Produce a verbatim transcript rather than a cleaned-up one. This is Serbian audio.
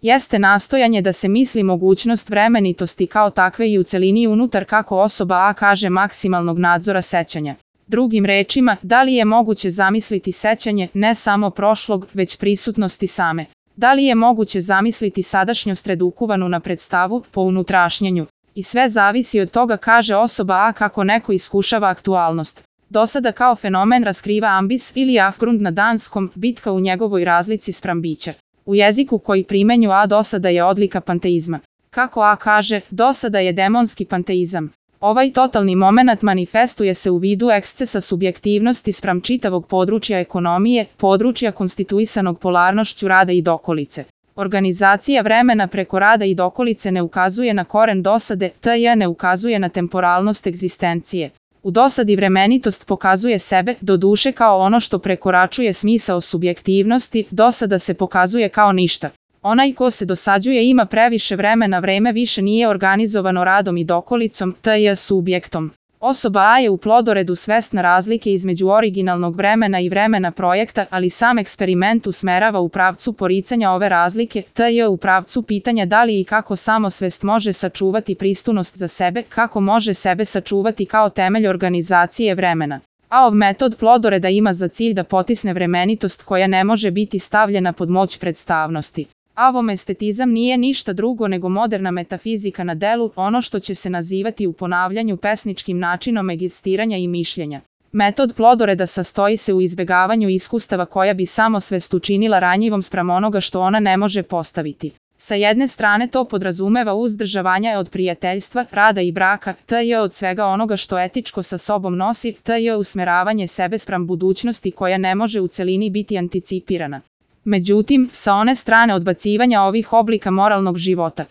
jeste nastojanje da se misli mogućnost vremenitosti kao takve i u celini unutar, kako osoba A kaže, maksimalnog nadzora sećanja. Drugim rečima, da li je moguće zamisliti sećanje ne samo prošlog, već prisutnosti same? Da li je moguće zamisliti sadašnjost redukuvanu na predstavu po unutrašnjenju? I sve zavisi od toga, kaže osoba A, kako neko iskušava aktualnost. Dosada kao fenomen raskriva ambis ili afgrund na danskom, bitka u njegovoj razlici spram bića. U jeziku koji primenju A, dosada je odlika panteizma. Kako A kaže, dosada je demonski panteizam. Ovaj totalni momenat manifestuje se u vidu ekscesa subjektivnosti spram čitavog područja ekonomije, područja konstituisanog polarnošću rada i dokolice. Organizacija vremena preko rada i dokolice ne ukazuje na koren dosade, tj. ne ukazuje na temporalnost egzistencije. U dosadi vremenitost pokazuje sebe, doduše kao ono što prekoračuje smisao subjektivnosti, dosada se pokazuje kao ništa. Onaj ko se dosađuje ima previše vremena, vreme više nije organizovano radom i dokolicom, tj. subjektom. Osoba A je u plodoredu svesna razlike između originalnog vremena i vremena projekta, ali sam eksperiment usmerava u pravcu poricanja ove razlike, tj. u pravcu pitanja da li i kako samosvest može sačuvati pristojnost za sebe, kako može sebe sačuvati kao temelj organizacije vremena. A ov metod plodoreda ima za cilj da potisne vremenitost koja ne može biti stavljena pod moć predstavnosti. Avom estetizam nije ništa drugo nego moderna metafizika na delu, ono što će se nazivati u ponavljanju pesničkim načinom egzistiranja i mišljenja. Metod plodoreda sastoji se u izbegavanju iskustava koja bi samosvest učinila ranjivom spram onoga što ona ne može postaviti. Sa jedne strane to podrazumeva uzdržavanje od prijateljstva, rada i braka, tj. od svega onoga što etičko sa sobom nosi, tj. usmeravanje sebe spram budućnosti koja ne može u celini biti anticipirana. Međutim, sa one strane odbacivanja ovih oblika moralnog života,